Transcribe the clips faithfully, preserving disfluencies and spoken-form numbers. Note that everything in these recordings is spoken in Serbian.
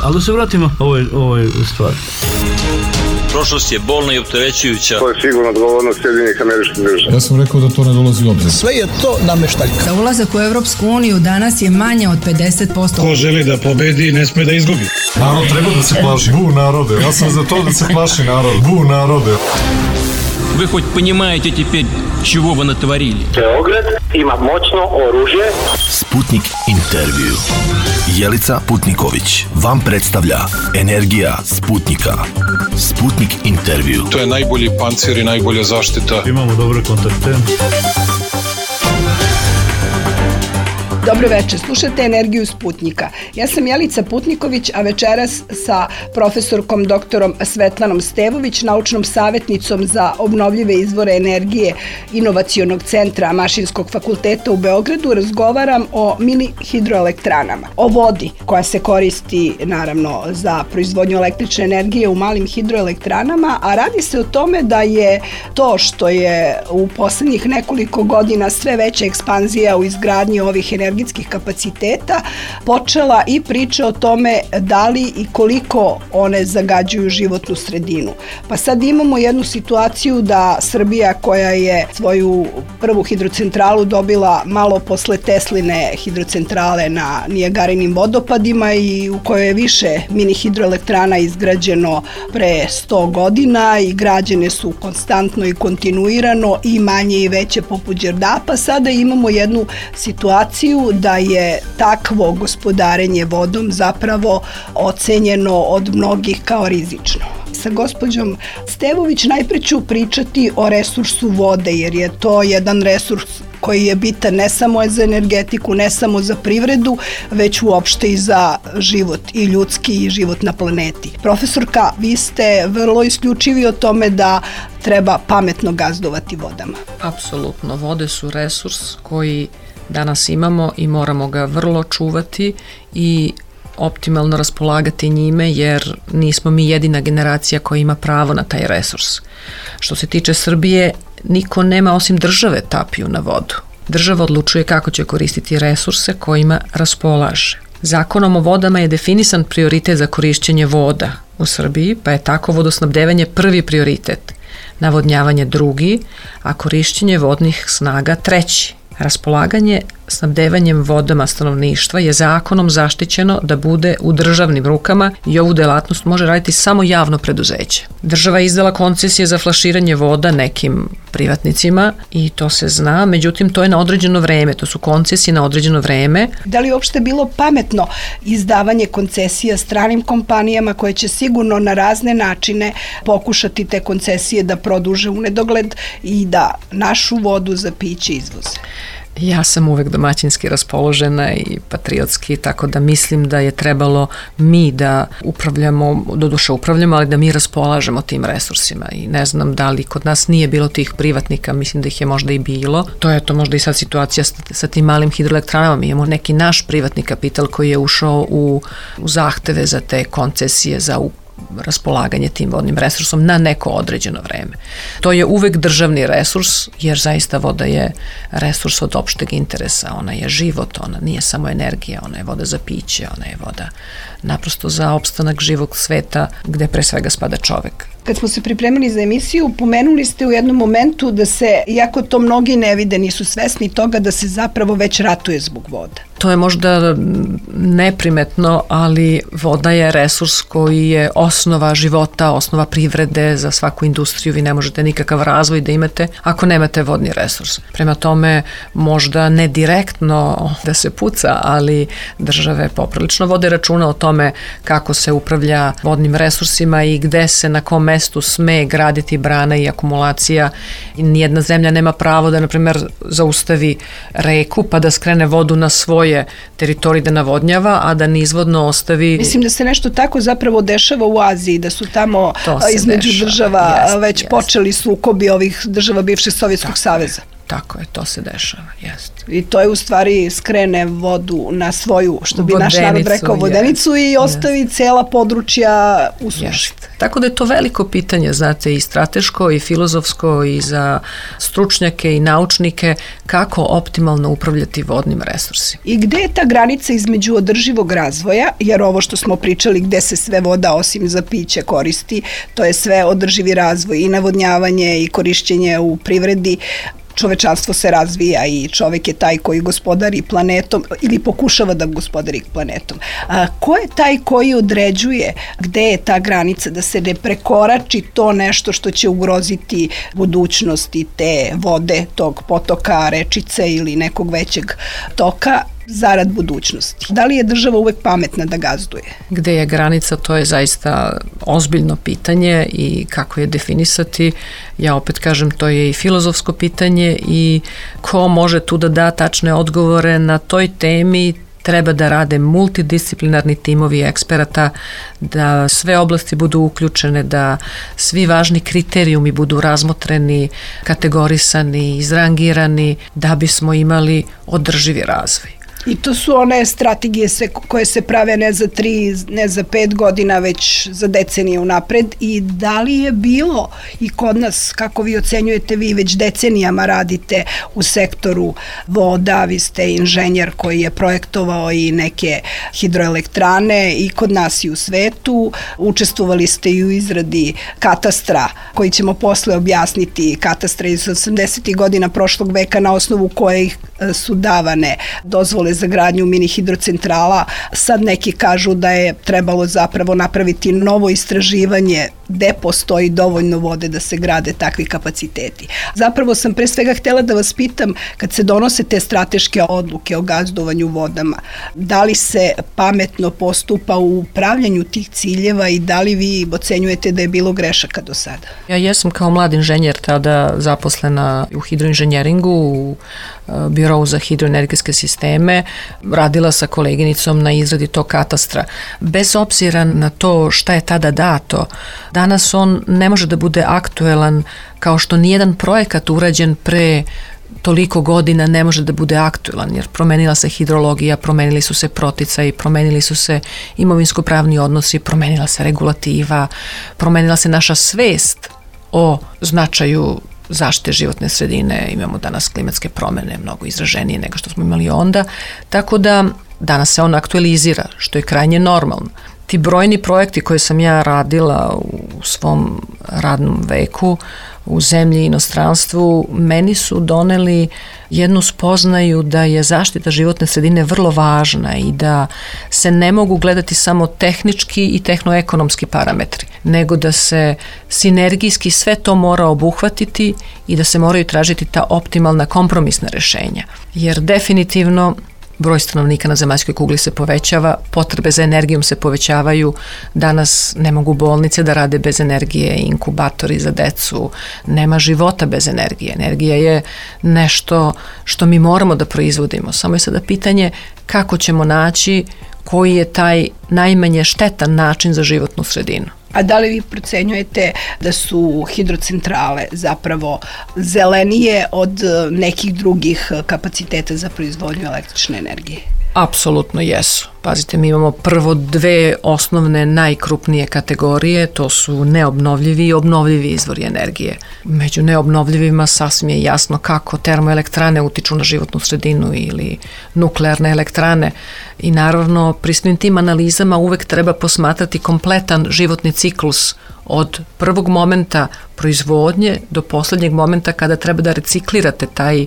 Ali da se vratimo ovoj, ovoj stvari. Prošlost je bolna i opterećujuća. To je sigurno odgovornost Sjedinjenih Američkih Država. Ja sam rekao da to ne dolazi u obzir. Sve je to nameštaljka. Da ulazak u Evropsku uniju danas je manje od pedeset posto. Ko želi da pobedi, ne sme da izgubi. Narod treba da se plaši. Bu narode. Ja sam za to da se plaši narod. Bu narode. Вы хоть понимаете теперь, чего вы натворили? Beograd ima moćno oružje. Sputnik intervju. Jelica Putniković vam predstavlja Energija Sputnika. Sputnik intervju. To je najbolji pancir i najbolja zaštita. Imamo dobre kontakte. Dobro večer, slušate Energiju Sputnika. Ja sam Jelica Putniković, a večeras sa profesorkom doktorom Svetlanom Stevović, naučnom savjetnicom za obnovljive izvore energije Inovacionog centra Mašinskog fakulteta u Beogradu razgovaram o mini hidroelektranama, o vodi koja se koristi naravno za proizvodnju električne energije u malim hidroelektranama, a radi se o tome da je to što je u poslednjih nekoliko godina sve veća ekspanzija u izgradnji ovih energijskih energetskih kapaciteta, počela i priča o tome da li i koliko one zagađuju životnu sredinu. Pa sad imamo jednu situaciju da Srbija, koja je svoju prvu hidrocentralu dobila malo posle Tesline hidrocentrale na Nijagarinim vodopadima i u kojoj je više mini hidroelektrana izgrađeno pre sto godina i građene su konstantno i kontinuirano i manje i veće poput Đerdapa, sada imamo jednu situaciju da je takvo gospodarenje vodom zapravo ocenjeno od mnogih kao rizično. Sa gospođom Stevović najpre ću pričati o resursu vode, jer je to jedan resurs koji je bitan ne samo za energetiku, ne samo za privredu, već uopšte i za život i ljudski i život na planeti. Profesorka, vi ste vrlo isključivi o tome da treba pametno gazdovati vodama. Apsolutno, vode su resurs koji danas imamo i moramo ga vrlo čuvati i optimalno raspolagati njime, jer nismo mi jedina generacija koja ima pravo na taj resurs. Što se tiče Srbije, niko nema osim države tapiju na vodu. Država odlučuje kako će koristiti resurse kojima raspolaže. Zakonom o vodama je definisan prioritet za korišćenje voda u Srbiji, pa je tako vodosnabdevanje prvi prioritet, navodnjavanje drugi, a korišćenje vodnih snaga treći. Raspolaganje snabdevanjem vodama stanovništva je zakonom zaštićeno da bude u državnim rukama i ovu delatnost može raditi samo javno preduzeće. Država je izdala koncesije za flaširanje voda nekim privatnicima i to se zna, međutim to je na određeno vreme, to su koncesije na određeno vreme. Da li je uopšte bilo pametno izdavanje koncesija stranim kompanijama koje će sigurno na razne načine pokušati te koncesije da produže u nedogled i da našu vodu za piće izvoze? Ja sam uvek domaćinski raspoložena i patriotski, tako da mislim da je trebalo mi da upravljamo, doduše upravljamo, ali da mi raspolažemo tim resursima i ne znam da li kod nas nije bilo tih privatnika, mislim da ih je možda i bilo. To je to možda i sad situacija sa tim malim hidroelektranama. Mi imamo neki naš privatni kapital koji je ušao u, u zahteve za te koncesije za upravljanje, raspolaganje tim vodnim resursom na neko određeno vreme. To je uvek državni resurs, jer zaista voda je resurs od opšteg interesa, ona je život, ona nije samo energija, ona je voda za piće, ona je voda naprosto za opstanak živog sveta gde pre svega spada čovek. Kad smo se pripremili za emisiju, pomenuli ste u jednom momentu da se, iako to mnogi ne vide, nisu svesni toga da se zapravo već ratuje zbog voda. To je možda neprimetno, ali voda je resurs koji je osnova života, osnova privrede za svaku industriju. Vi ne možete nikakav razvoj da imate ako nemate vodni resurs. Prema tome, možda ne direktno da se puca, ali države poprilično vode računa o tome kako se upravlja vodnim resursima i gde se na kom mestu sme graditi brana i akumulacija. Nijedna zemlja nema pravo da, na primjer, zaustavi reku pa da skrene vodu na svoje teritorij da navodnjava, a da nizvodno ostavi... Mislim da se nešto tako zapravo dešava u Aziji, da su tamo između dešava. država jest, već jest. počeli sukobi ovih država bivšeg Sovjetskog saveza. tako je, to se dešava, jeste. I to je u stvari skrene vodu na svoju, što bi naš narod rekao, vodenicu i ostavi cela područja u suši. Tako da je to veliko pitanje, znate, i strateško i filozofsko i za stručnjake i naučnike kako optimalno upravljati vodnim resursima. I gde je ta granica između održivog razvoja, jer ovo što smo pričali gde se sve voda osim za piće koristi, to je sve održivi razvoj i navodnjavanje i korišćenje u privredi. Čovečanstvo se razvija i čovek je taj koji gospodari planetom ili pokušava da gospodari planetom. A, ko je taj koji određuje gde je ta granica da se ne prekorači to nešto što će ugroziti budućnost i te vode, tog potoka, rečice ili nekog većeg toka zarad budućnosti? Da li je država uvek pametna da gazduje? Gde je granica, to je zaista ozbiljno pitanje i kako je definisati. Ja opet kažem, to je i filozofsko pitanje i ko može tu da da tačne odgovore na toj temi, treba da rade multidisciplinarni timovi eksperata, da sve oblasti budu uključene, da svi važni kriterijumi budu razmotreni, kategorisani, izrangirani, da bismo imali održivi razvoj. I to su one strategije se, koje se prave ne za tri, ne za pet godina, već za decenije unapred. I da li je bilo i kod nas, kako vi ocenjujete, vi već decenijama radite u sektoru voda, vi ste inženjer koji je projektovao i neke hidroelektrane i kod nas i u svetu, učestvovali ste i u izradi katastra koji ćemo posle objasniti, katastra iz osamdesetih godina prošlog veka na osnovu kojih su davane dozvole za gradnju mini hidrocentrala. Sad neki kažu da je trebalo zapravo napraviti novo istraživanje gde postoji dovoljno vode da se grade takvi kapaciteti. Zapravo sam pre svega htela da vas pitam, kad se donose te strateške odluke o gazdovanju vodama, da li se pametno postupa u upravljanju tih ciljeva i da li vi ocenjujete da je bilo grešaka do sada? Ja jesam kao mlad inženjer tada zaposlena u hidroinženjeringu, u Birovu za hidroenergetske sisteme, radila sa koleginicom na izradi tog katastra. Bez obzira na to šta je tada dato, danas on ne može da bude aktuelan kao što nijedan projekat urađen pre toliko godina ne može da bude aktuelan, jer promenila se hidrologija, promenili su se proticaji, promenili su se imovinsko-pravni odnosi, promenila se regulativa, promenila se naša svest o značaju zaštite životne sredine, imamo danas klimatske promene mnogo izraženije nego što smo imali onda, tako da danas se on aktualizira, što je krajnje normalno. Ti brojni projekti koje sam ja radila u svom radnom veku, u zemlji i inostranstvu, meni su doneli jednu spoznaju da je zaštita životne sredine vrlo važna i da se ne mogu gledati samo tehnički i tehnoekonomski parametri, nego da se sinergijski sve to mora obuhvatiti i da se moraju tražiti ta optimalna kompromisna rešenja. Jer definitivno broj stanovnika na zemaljskoj kugli se povećava, potrebe za energijom se povećavaju, danas ne mogu bolnice da rade bez energije, inkubatori za decu, nema života bez energije. Energija je nešto što mi moramo da proizvodimo, samo je sada pitanje kako ćemo naći koji je taj najmanje štetan način za životnu sredinu. A da li vi procenjujete da su hidrocentrale zapravo zelenije od nekih drugih kapaciteta za proizvodnju električne energije? Apsolutno jesu. Pazite, mi imamo prvo dve osnovne najkrupnije kategorije, to su neobnovljivi i obnovljivi izvori energije. Među neobnovljivima sasvim je jasno kako termoelektrane utiču na životnu sredinu ili nuklearne elektrane i naravno pri svim tim analizama uvek treba posmatrati kompletan životni ciklus od prvog momenta proizvodnje do poslednjeg momenta kada treba da reciklirate taj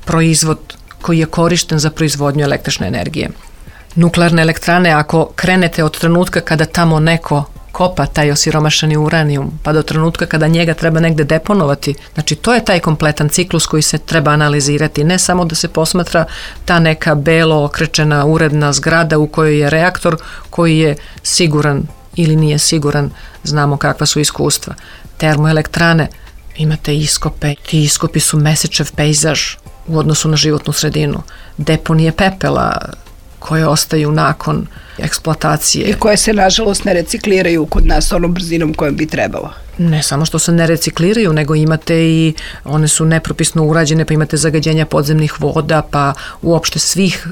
proizvod koji je korišten za proizvodnju električne energije. Nuklearne elektrane, ako krenete od trenutka kada tamo neko kopa taj osiromašeni uranijum, pa do trenutka kada njega treba negde deponovati, znači to je taj kompletan ciklus koji se treba analizirati, ne samo da se posmatra ta neka belo okrečena uredna zgrada u kojoj je reaktor koji je siguran ili nije siguran, znamo kakva su iskustva. Termoelektrane, imate iskope, ti iskopi su mesečev pejzaž u odnosu na životnu sredinu. Deponije pepela, koje ostaju nakon eksploatacije. I koje se, nažalost, ne recikliraju kod nas onom brzinom kojom bi trebalo. Ne samo što se ne recikliraju, nego imate i, one su nepropisno urađene, pa imate zagađenja podzemnih voda, pa uopšte svih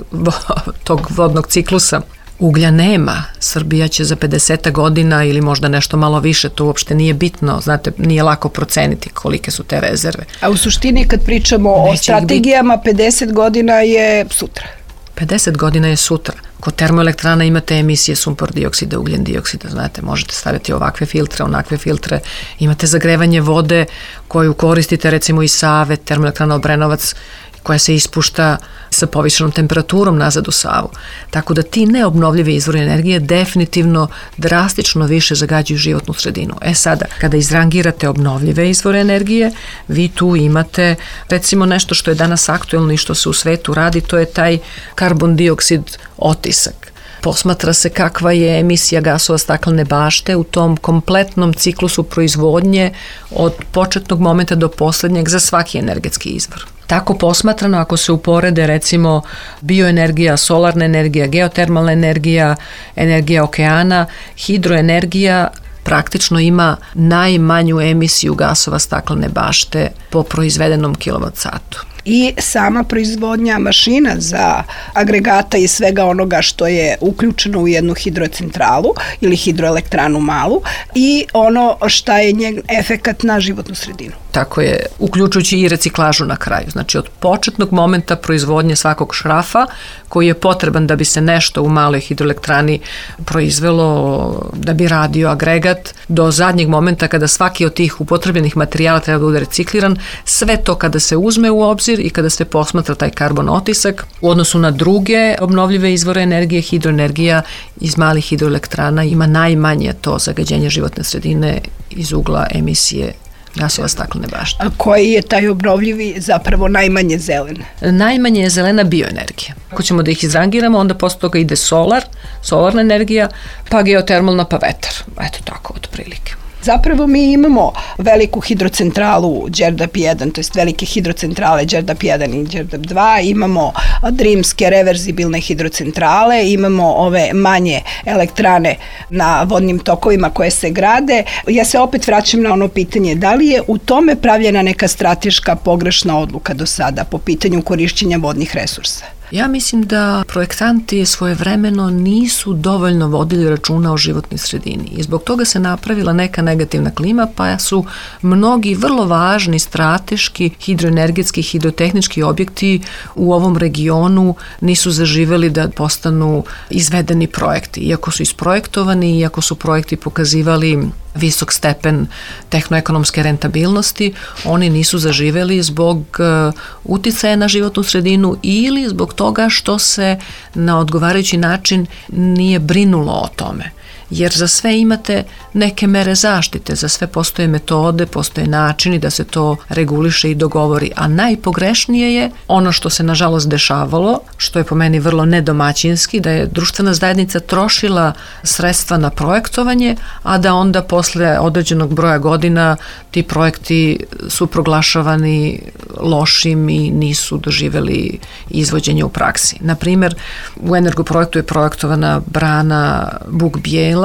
tog vodnog ciklusa. Uglja nema. Srbija će za pedeset godina ili možda nešto malo više, to uopšte nije bitno, znate, nije lako proceniti kolike su te rezerve. A u suštini kad pričamo Neće o strategijama, pedeset godina je sutra. pedeset godina je sutra. Kod termoelektrana imate emisije sumpor dioksida, ugljen dioksida, znate, možete staviti ovakve filtre, onakve filtre, imate zagrevanje vode koju koristite recimo iz Save, termoelektrana Obrenovac, koja se ispušta sa povišenom temperaturom nazad u Savu. Tako da ti neobnovljivi izvori energije definitivno drastično više zagađuju životnu sredinu. E sada, kada izrangirate obnovljive izvore energije, vi tu imate recimo nešto što je danas aktuelno i što se u svetu radi, to je taj karbon dioksid otisak. Posmatra se kakva je emisija gasova staklene bašte u tom kompletnom ciklusu proizvodnje od početnog momenta do poslednjeg za svaki energetski izvor. Tako posmatrano, ako se uporede recimo bioenergija, solarna energija, geotermalna energija, energija okeana, hidroenergija praktično ima najmanju emisiju gasova staklene bašte po proizvedenom kilovat satu. I sama proizvodnja mašina za agregata i svega onoga što je uključeno u jednu hidrocentralu ili hidroelektranu malu i ono šta je njen efekat na životnu sredinu. Tako je, uključujući i reciklažu na kraju. Znači od početnog momenta proizvodnje svakog šrafa koji je potreban da bi se nešto u maloj hidroelektrani proizvelo, da bi radio agregat, do zadnjeg momenta kada svaki od tih upotrebljenih materijala treba da bude recikliran, sve to kada se uzme u obzir i kada se posmatra taj karbon otisak u odnosu na druge obnovljive izvore energije, hidroenergija iz malih hidroelektrana ima najmanje to zagađenje životne sredine iz ugla emisije gasova staklene bašte. A koji je taj obnovljivi zapravo najmanje zelen? Najmanje je zelena bioenergija. Ako ćemo da ih izrangiramo, onda posle toga ide solar, solarna energija, pa geotermalna, pa vetar. Eto tako, otprilike. Zapravo mi imamo veliku hidrocentralu Đerdap jedan, to jest velike hidrocentrale Đerdap jedan i Đerdap dva, imamo drimske reverzibilne hidrocentrale, imamo ove manje elektrane na vodnim tokovima koje se grade. Ja se opet vraćam na ono pitanje, da li je u tome pravljena neka strateška pogrešna odluka do sada po pitanju korišćenja vodnih resursa? Ja mislim da projektanti svojevremeno nisu dovoljno vodili računa o životnoj sredini i zbog toga se napravila neka negativna klima, pa su mnogi vrlo važni strateški hidroenergetski, hidrotehnički objekti u ovom regionu nisu zaživeli da postanu izvedeni projekti. Iako su isprojektovani, iako su projekti pokazivali visok stepen tehnoekonomske rentabilnosti, oni nisu zaživeli zbog uh, uticaja na životnu sredinu ili zbog toga što se na odgovarajući način nije brinulo o tome. Jer za sve imate neke mere zaštite, za sve postoje metode, postoje načini da se to reguliše i dogovori, a najpogrešnije je ono što se nažalost dešavalo, što je po meni vrlo nedomaćinski, da je društvena zajednica trošila sredstva na projektovanje, a da onda posle određenog broja godina ti projekti su proglašavani lošim i nisu doživeli izvođenje u praksi. Naprimer, u Energoprojektu je projektovana brana Buk-Bijela,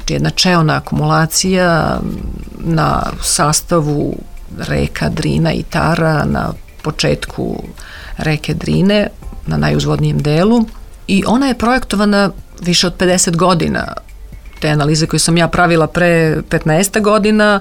jedna čeona akumulacija na sastavu reka Drina i Tara na početku reke Drine, na najuzvodnijem delu, i ona je projektovana više od pedeset godina. Te analize koje sam ja pravila pre petnaest godina,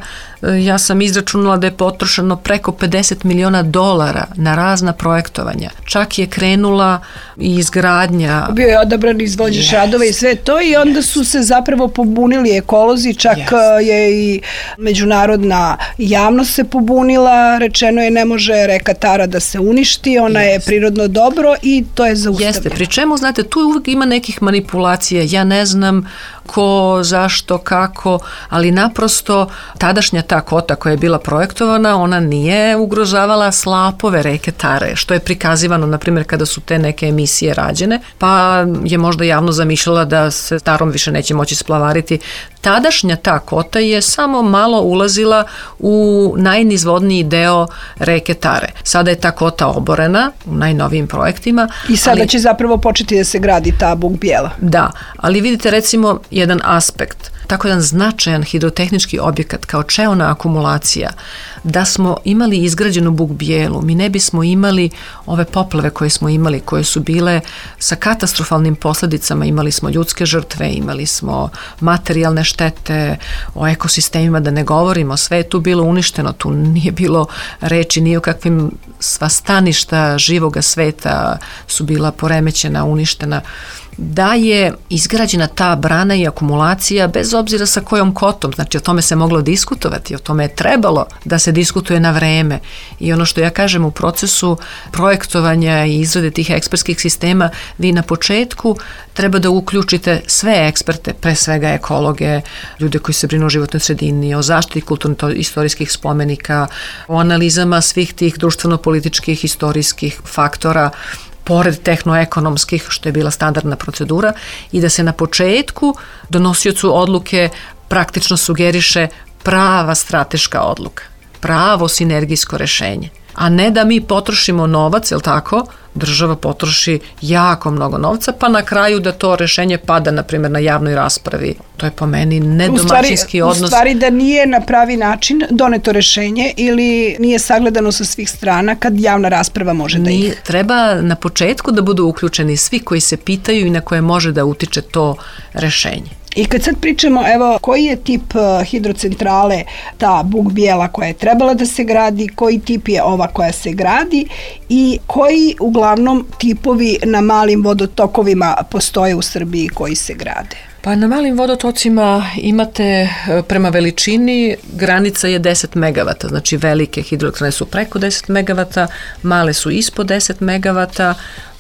ja sam izračunala da je potrošeno preko pedeset miliona dolara na razna projektovanja. Čak je krenula i izgradnja. Bio je odabran izvođač yes. radova i sve to i onda su se zapravo pobunili ekolozi, čak yes. je i međunarodna javnost se pobunila, rečeno je ne može reka Tara da se uništi, ona yes. je prirodno dobro i to je zaustavljeno. Jeste, pri čemu, znate, tu uvijek ima nekih manipulacija, ja ne znam ko ko, zašto, kako, ali naprosto tadašnja ta kota koja je bila projektovana, ona nije ugrožavala slapove reke Tare, što je prikazivano, na primjer, kada su te neke emisije rađene, pa je možda javno zamišljala da se Tarom više neće moći splavariti. Tadašnja ta kota je samo malo ulazila u najnizvodniji deo reke Tare. Sada je ta kota oborena u najnovijim projektima. I sada ali, će zapravo početi da se gradi ta Buk Bijela. Da, ali vidite recimo jedan aspekt, tako jedan značajan hidrotehnički objekat kao čeona akumulacija, da smo imali izgrađenu Buk Bijelu, mi ne bismo imali ove poplave koje smo imali, koje su bile sa katastrofalnim posljedicama, imali smo ljudske žrtve, imali smo materijalne štete, o ekosistemima da ne govorimo, sve je tu bilo uništeno, tu nije bilo reči ni o kakvim, sva staništa živoga sveta su bila poremećena, uništena. Da je izgrađena ta brana i akumulacija bez obzira sa kojom kotom, znači o tome se moglo diskutovati, o tome je trebalo da se diskutuje na vreme i ono što ja kažem u procesu projektovanja i izrade tih ekspertskih sistema, vi na početku treba da uključite sve eksperte, pre svega ekologe, ljude koji se brinu o životnoj sredini, o zaštiti kulturno-istorijskih spomenika, o analizama svih tih društveno-političkih, istorijskih faktora, pored tehnoekonomskih, što je bila standardna procedura, i da se na početku donosiocu odluke praktično sugeriše prava strateška odluka, pravo sinergijsko rešenje. A ne da mi potrošimo novac, jel tako, država potroši jako mnogo novca, pa na kraju da to rešenje pada, na primjer, na javnoj raspravi. To je po meni nedomaćinski odnos. U stvari da nije na pravi način doneto rešenje ili nije sagledano sa svih strana kad javna rasprava može da ide. Treba na početku da budu uključeni svi koji se pitaju i na koje može da utiče to rešenje. I kad sad pričamo, evo, koji je tip hidrocentrale ta Buk Bijela koja je trebala da se gradi, koji tip je ova koja se gradi i koji uglavnom tipovi na malim vodotokovima postoje u Srbiji koji se grade? Pa na malim vodotocima imate prema veličini, granica je deset megavata, znači velike hidroelektrane su preko deset megavata, male su ispod deset megavata,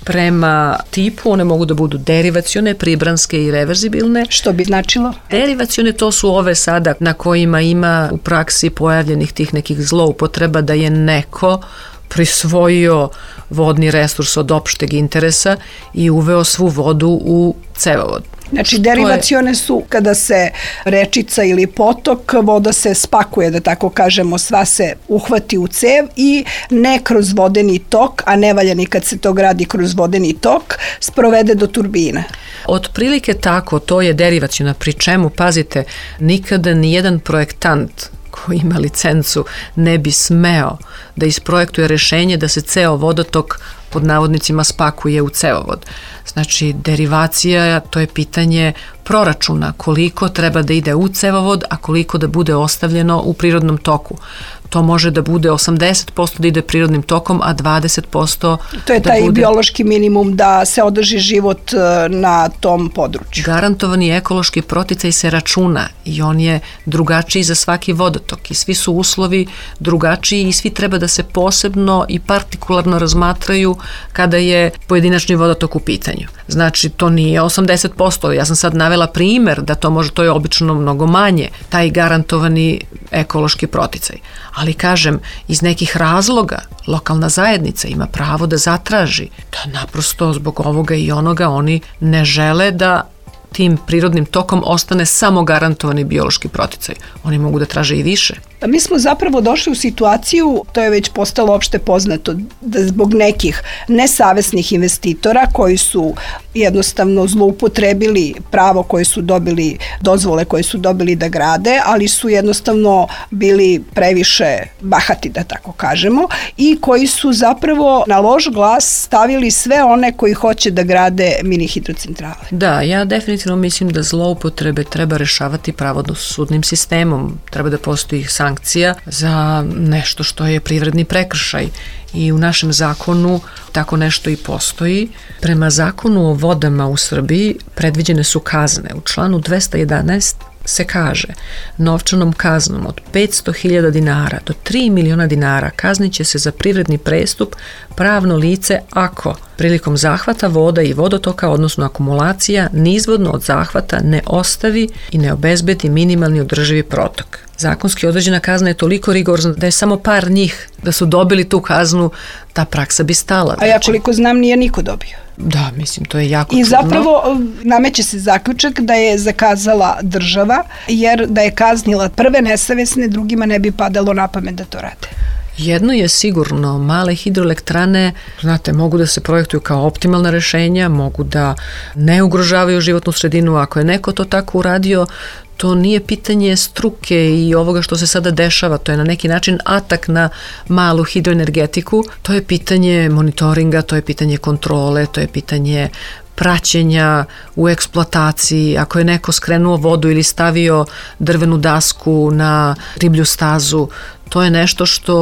prema tipu one mogu da budu derivacione, pribranske i reverzibilne. Što bi značilo? Derivacione to su ove sada na kojima ima u praksi pojavljenih tih nekih zloupotreba da je neko prisvojio vodni resurs od opšteg interesa i uveo svu vodu u cevovod. Znači, derivacione su kada se rečica ili potok, voda se spakuje, da tako kažemo, sva se uhvati u cev i ne kroz vodeni tok, a ne valja ni kad se to gradi kroz vodeni tok, sprovede do turbine. Otprilike tako, to je derivaciona, pri čemu, pazite, nikada nijedan projektant koji ima licencu ne bi smeo da isprojektuje rešenje da se ceo vodotok pod navodnicima spakuje u cevovod. Znači, derivacija, to je pitanje proračuna, koliko treba da ide u cevovod, a koliko da bude ostavljeno u prirodnom toku. To može da bude osamdeset posto da ide prirodnim tokom, a dvadeset posto to je da taj bude biološki minimum da se održi život na tom području. Garantovani ekološki proticaj se računa i on je drugačiji za svaki vodotok i svi su uslovi drugačiji i svi treba da se posebno i partikularno razmatraju kada je pojedinačni vodotok u pitanju. Znači, to nije osamdeset posto, ja sam sad navela primer da to može, to je obično mnogo manje, taj garantovani ekološki proticaj. Ali kažem, iz nekih razloga lokalna zajednica ima pravo da zatraži da naprosto zbog ovoga i onoga oni ne žele da tim prirodnim tokom ostane samo garantovani biološki proticaj. Oni mogu da traže i više. Mi smo zapravo došli u situaciju, to je već postalo opšte poznato, da zbog nekih nesavesnih investitora koji su jednostavno zloupotrebili pravo koje su dobili, dozvole koje su dobili da grade, ali su jednostavno bili previše bahati, da tako kažemo, i koji su zapravo na loš glas stavili sve one koji hoće da grade mini hidrocentrale. Da, ja definitivno mislim da zloupotrebe treba rešavati pravodosudnim sistemom. Treba da postoji sankcija za nešto što je privredni prekršaj i u našem zakonu tako nešto i postoji. Prema zakonu o vodama u Srbiji predviđene su kazne. U članu dvesta jedanaest se kaže novčanom kaznom od petsto hiljada dinara do tri miliona dinara kaznit će se za privredni prestup pravno lice ako prilikom zahvata voda i vodotoka, odnosno akumulacija, nizvodno od zahvata ne ostavi i ne obezbedi minimalni održivi protok. Zakonski određena kazna je toliko rigorozna da je samo par njih da su dobili tu kaznu, ta praksa bi stala. A ja koliko znam nije niko dobio. Da, mislim, to je jako I čudno. zapravo nameće se zaključak da je zakazala država, jer da je kaznila prve nesavesne, drugima ne bi padalo na pamet da to rade. Jedno je sigurno, male hidroelektrane, znate, mogu da se projektuju kao optimalna rešenja, mogu da ne ugrožavaju životnu sredinu. Ako je neko to tako uradio, to nije pitanje struke i ovoga što se sada dešava, to je na neki način atak na malu hidroenergetiku, to je pitanje monitoringa, to je pitanje kontrole, to je pitanje praćenja u eksploataciji. Ako je neko skrenuo vodu ili stavio drvenu dasku na riblju stazu, to je nešto što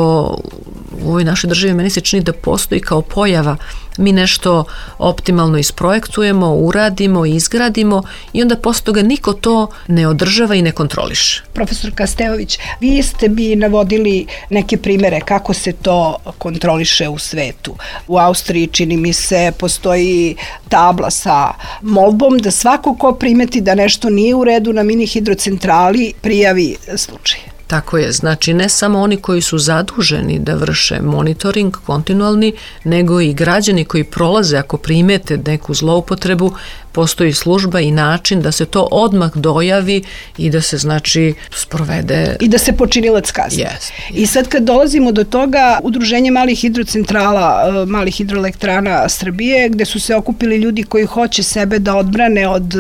u ovoj našoj državi meni se čini da postoji kao pojava. Mi nešto optimalno isprojektujemo, uradimo, izgradimo i onda posle toga niko to ne održava i ne kontroliše. Profesor Stevović, vi ste bi navodili neke primere kako se to kontroliše u svetu. U Austriji, čini mi se, postoji tabla sa molbom da svako ko primeti da nešto nije u redu na mini hidrocentrali prijavi slučaj. Tako je, znači ne samo oni koji su zaduženi da vrše monitoring kontinualni, nego i građani koji prolaze ako primete neku zloupotrebu, postoji služba i način da se to odmah dojavi i da se znači sprovede. I da se počinilac kazni. Yes, yes. I sad kad dolazimo do toga, Udruženje malih hidrocentrala, malih hidroelektrana Srbije, gde su se okupili ljudi koji hoće sebe da odbrane od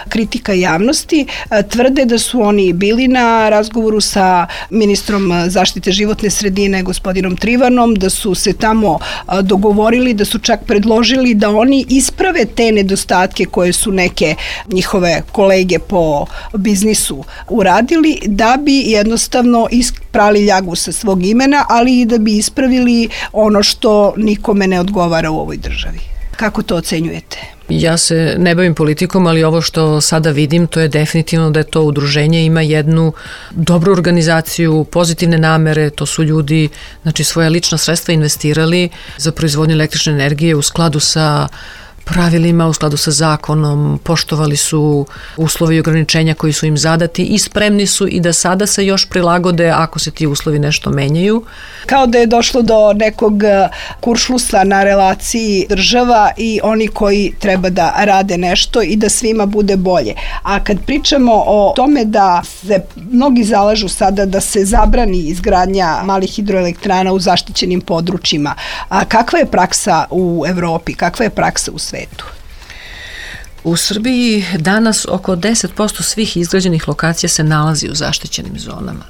kritika javnosti, tvrde da su oni bili na razgovoru sa ministrom zaštite životne sredine, gospodinom Trivanom, da su se tamo dogovorili, da su čak predložili da oni isprave te nedostatke koje su neke njihove kolege po biznisu uradili, da bi jednostavno isprali ljagu sa svog imena, ali i da bi ispravili ono što nikome ne odgovara u ovoj državi. Kako to ocenjujete? Ja se ne bavim politikom, ali ovo što sada vidim, to je definitivno da je to udruženje ima jednu dobru organizaciju, pozitivne namere, to su ljudi, znači svoja lična sredstva investirali za proizvodnju električne energije u skladu sa pravilima, u skladu sa zakonom, poštovali su uslovi i ograničenja koji su im zadati i spremni su i da sada se još prilagode ako se ti uslovi nešto menjaju. Kao da je došlo do nekog kuršlusa na relaciji država i oni koji treba da rade nešto i da svima bude bolje. A kad pričamo o tome da se mnogi zalažu sada da se zabrani izgradnja malih hidroelektrana u zaštićenim područjima, a kakva je praksa u Evropi, kakva je praksa u svetu? U Srbiji danas oko deset posto svih izgrađenih lokacija se nalazi u zaštićenim zonama,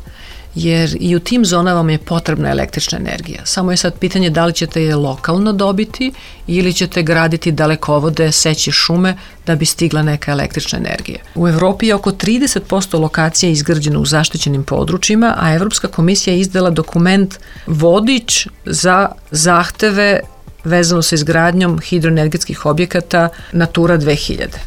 jer i u tim zonama vam je potrebna električna energija. Samo je sad pitanje da li ćete je lokalno dobiti ili ćete graditi dalekovode, seći šume da bi stigla neka električna energija. U Evropi je oko trideset posto lokacija izgrađeno u zaštićenim područjima, a Evropska komisija je izdala dokument vodič za zahteve vezano sa izgradnjom hidroenergetskih objekata Natura dve hiljade.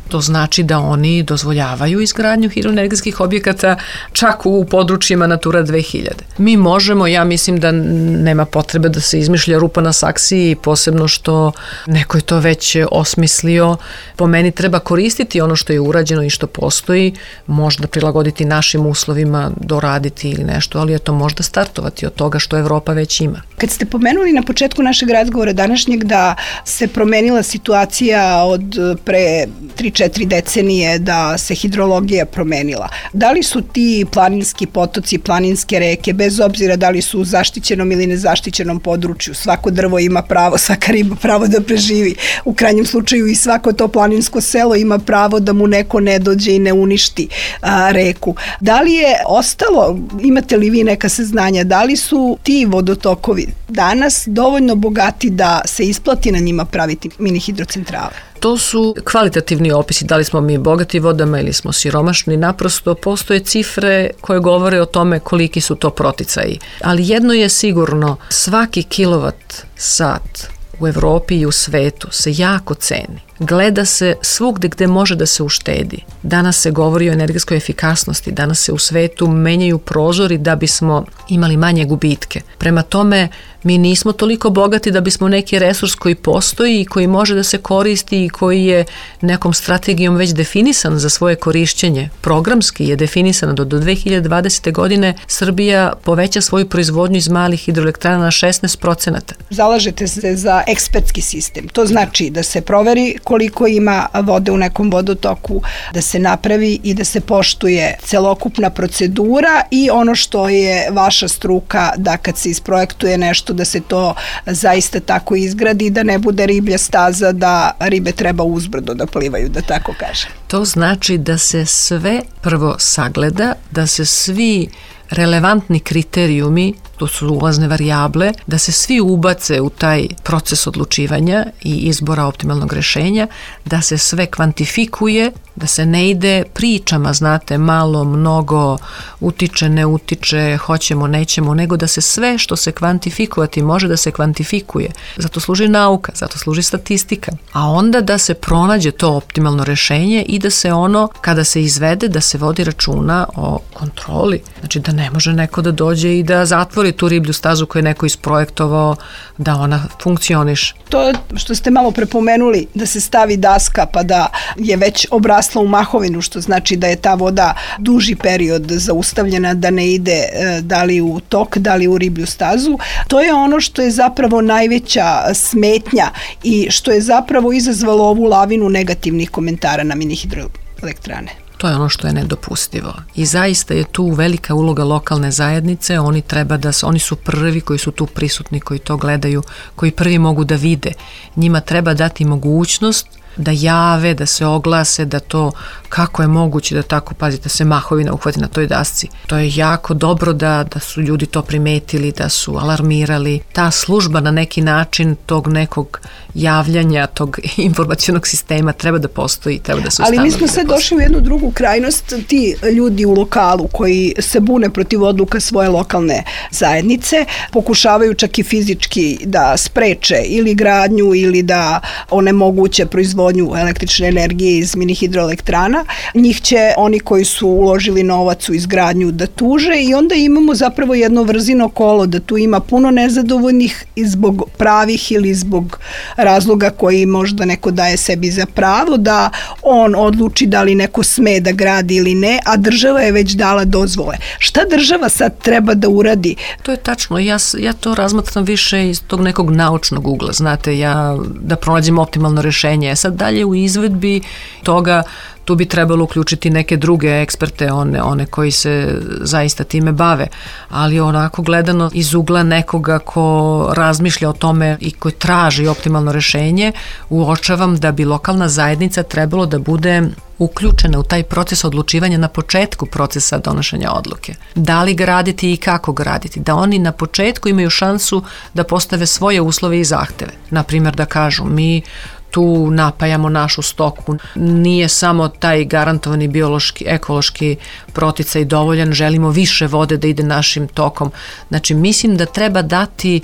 To znači da oni dozvoljavaju izgradnju hidroenergetskih objekata čak u područjima Natura dve hiljade. Mi možemo, ja mislim da nema potrebe da se izmišlja rupa na saksiji, posebno što neko je to već osmislio. Po meni treba koristiti ono što je urađeno i što postoji, možda prilagoditi našim uslovima, doraditi ili nešto, ali je to možda startovati od toga što Evropa već ima. Kad ste pomenuli na početku našeg razgovora današnjeg da se promenila situacija od pre tri četiri decenije, da se hidrologija promenila. Da li su ti planinski potoci, planinske reke, bez obzira da li su u zaštićenom ili nezaštićenom području, svako drvo ima pravo, svaka riba pravo da preživi, u krajnjem slučaju i svako to planinsko selo ima pravo da mu neko ne dođe i ne uništi a, reku. Da li je ostalo, imate li vi neka saznanja, da li su ti vodotokovi danas dovoljno bogati da se isplati na njima praviti mini hidrocentrale? To su kvalitativni opisi, da li smo mi bogati vodama ili smo siromašni, naprosto postoje cifre koje govore o tome koliki su to proticaji. Ali jedno je sigurno, svaki kilovat sat u Evropi i u svetu se jako ceni. gleda se svugde gde može da se uštedi. Danas se govori o energetskoj efikasnosti, danas se u svetu menjaju prozori da bismo imali manje gubitke. Prema tome, mi nismo toliko bogati da bismo neki resurs koji postoji i koji može da se koristi i koji je nekom strategijom već definisan za svoje korišćenje. Programski je definisan da do dve hiljade dvadesete. godine Srbija poveća svoju proizvodnju iz malih hidroelektrana na šesnaest procenata. Zalažete se za ekspertski sistem. To znači da se proveri koliko ima vode u nekom vodotoku, da se napravi i da se poštuje celokupna procedura i ono što je vaša struka da kad se isprojektuje nešto da se to zaista tako izgradi, da ne bude riblja staza, da ribe treba uzbrdo da plivaju, da tako kažem. To znači da se sve prvo sagleda, da se svi relevantni kriterijumi, to su ulazne varijable, da se svi ubace u taj proces odlučivanja i izbora optimalnog rešenja, da se sve kvantifikuje, da se ne ide pričama, znate, malo, mnogo, utiče, ne utiče, hoćemo, nećemo, nego da se sve što se kvantifikovati može da se kvantifikuje. Zato služi nauka, zato služi statistika. A onda da se pronađe to optimalno rešenje i da se ono, kada se izvede, da se vodi računa o kontroli. Znači da ne može neko da dođe i da zatvori tu riblju stazu koju je neko isprojektovao, da ona funkcioniše. To što ste malo prepomenuli, da se stavi daska pa da je već obrasla u mahovinu, što znači da je ta voda duži period zaustavljena, da ne ide da li u tok, da li u riblju stazu, to je ono što je zapravo najveća smetnja i što je zapravo izazvalo ovu lavinu negativnih komentara na mini hidroelektrane. To je ono što je nedopustivo. I zaista je tu velika uloga lokalne zajednice, oni treba da, oni su prvi koji su tu prisutni, koji to gledaju, koji prvi mogu da vide. Njima treba dati mogućnost da jave, da se oglase, da to, kako je moguće da tako, pazite, se mahovina uhvati na toj dasci. To je jako dobro da, da su ljudi to primetili, da su alarmirali. Ta služba na neki način tog nekog javljanja, tog informacionog sistema treba da postoji, treba da se ustanovi. Ali mi smo sad došli u jednu drugu krajnost, ti ljudi u lokalu koji se bune protiv odluka svoje lokalne zajednice, pokušavaju čak i fizički da spreče ili gradnju ili da onemoguće proizvodnju električne energije iz mini hidroelektrana. Njih će oni koji su uložili novac u izgradnju da tuže i onda imamo zapravo jedno vrzino kolo, da tu ima puno nezadovoljnih i zbog pravih ili zbog razloga koji možda neko daje sebi za pravo da on odluči da li neko sme da gradi ili ne, a država je već dala dozvole. Šta država sad treba da uradi? To je tačno. Ja, ja to razmatram više iz tog nekog naučnog ugla. Znate, ja da pronađem optimalno rešenje. Sad dalje u izvedbi toga tu bi trebalo uključiti neke druge eksperte, one, one koji se zaista time bave, ali onako gledano iz ugla nekoga ko razmišlja o tome i koji traži optimalno rešenje, uočavam da bi lokalna zajednica trebalo da bude uključena u taj proces odlučivanja na početku procesa donošenja odluke. Da li graditi i kako graditi, da oni na početku imaju šansu da postave svoje uslove i zahteve. Naprimjer da kažu, mi tu napajamo našu stoku. Nije samo taj garantovani biološki, ekološki proticaj dovoljan, želimo više vode da ide našim tokom. Znači, mislim da treba dati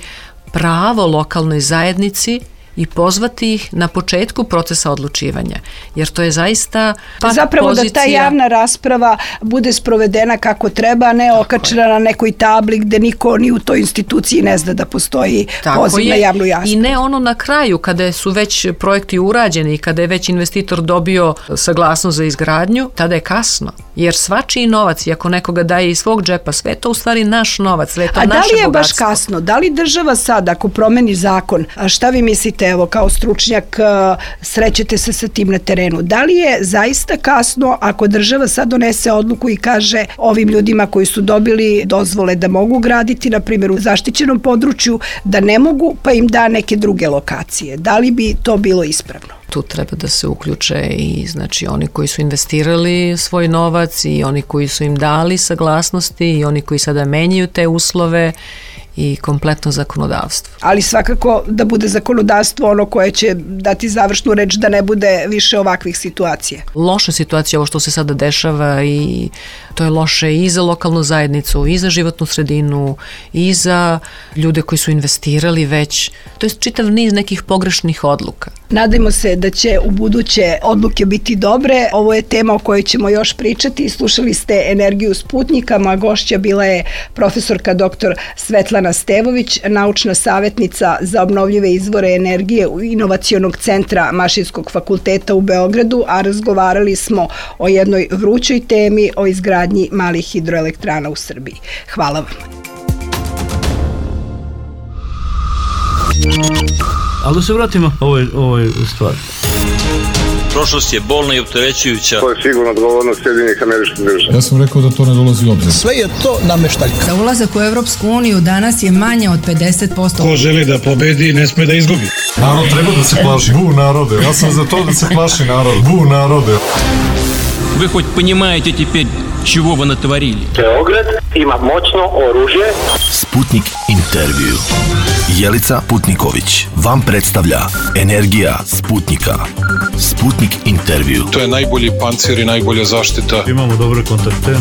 pravo lokalnoj zajednici i pozvati ih na početku procesa odlučivanja, jer to je zaista pa zapravo pozicija... da ta javna rasprava bude sprovedena kako treba, a ne tako okačena je na nekoj tabli gde niko ni u toj instituciji ne zna da postoji tako poziv je. Na javnu raspravu. I ne ono na kraju, kada su već projekti urađeni i kada je već investitor dobio saglasnost za izgradnju, tada je kasno, jer svačiji novac, i ako nekoga daje iz svog džepa, sve to u stvari naš novac, sve to a naše bogatstvo. A da li je bogatstvo. Baš kasno? Da li država sad, ako promeni zakon, a šta vi mislite, evo, kao stručnjak, srećete se sa tim na terenu. Da li je zaista kasno ako država sad donese odluku i kaže ovim ljudima koji su dobili dozvole da mogu graditi, na primjer u zaštićenom području, da ne mogu, pa im da neke druge lokacije? Da li bi to bilo ispravno? Tu treba da se uključe i znači oni koji su investirali svoj novac i oni koji su im dali saglasnosti i oni koji sada menjaju te uslove i kompletno zakonodavstvo. Ali svakako da bude zakonodavstvo ono koje će dati završnu reč da ne bude više ovakvih situacija. Loša situacija, ovo što se sada dešava, i to je loše i za lokalnu zajednicu, i za životnu sredinu, i za ljude koji su investirali već. To je čitav niz nekih pogrešnih odluka. Nadajmo se se da će u buduće odluke biti dobre. Ovo je tema o kojoj ćemo još pričati. Slušali ste Energiju Sputnika, moja gošća bila je profesorka doktor Svetlana Stevović, naučna savjetnica za obnovljive izvore energije u Inovacionog centra Mašinskog fakulteta u Beogradu, a razgovarali smo o jednoj vrućoj temi, o izgradnji malih hidroelektrana u Srbiji. Hvala vam. Ali da se vratimo ovoj, ovoj stvari. Prošlost je bolna i opterećujuća. To je sigurno odgovornost Sjedinjenih Američkih Država. Ja sam rekao da to ne dolazi u obzir. Sve je to nameštaljka. Za ulazak u Evropsku uniju danas je manje od pedeset posto. Ko želi da pobedi, ne sme da izgubi. Narod treba da se plaši. Bu narode. Ja sam za to da se plaši narod. Bu narode. Вы хоть понимаете теперь, чего вы натворили? Beograd ima moćno oružje. Sputnik intervju. Jelica Putniković vam predstavlja Energija Sputnika. Sputnik intervju. To je najbolji pancir i najbolja zaštita. Imamo dobre kontakte.